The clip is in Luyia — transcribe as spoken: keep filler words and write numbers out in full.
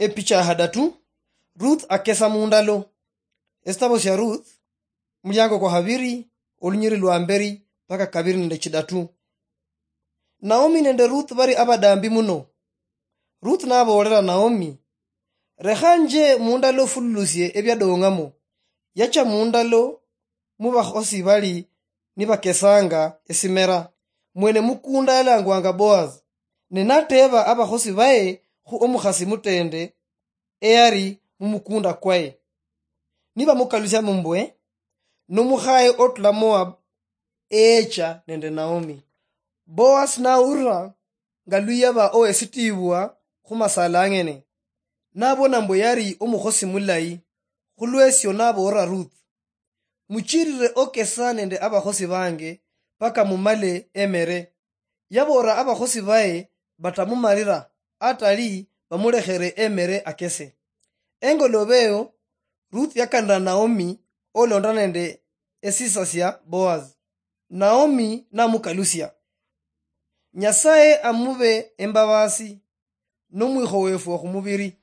Epicha ya hadatu. Ruth akesa mundalo. Esitabo sia Ruth, muliango kwa habiri, olunyiri lwa mberi paka kabiri nende chidatu. Naomi nende Ruth bari abadambi muno. Ruth naboolera Naomi, "Rekha nje mundalo fululusie ebiadong'amo." Yacha mundalo mu bakhosi bali nibakesanga esimera. Mwene mukunda yalangwanga Boaz, ne nateba abakhosi baye khu omukhasi mutende eyali mumukunda kwaye. Nibamukalusia mbwe, "Nomukhaye otula Moab eyecha nende Naomi." Boaz naulira nga luyaba owesitibwa khumasala ang'ene. Nabona mbwe yali omukhosi mulayi, khulwesio naboolera Ruth, "Muchirire okesa nende abakhosi bange paka mumale emere." Yaboolera abakhosi baye batamumalira, atali bamulekhere emere akese. Engolobe eyo, Ruth yakanira Naomi olonda nende esisa sia Boaz. Naomi namukalusia, "Nyasaye amube embabasi nomwikho wefu khumubiri."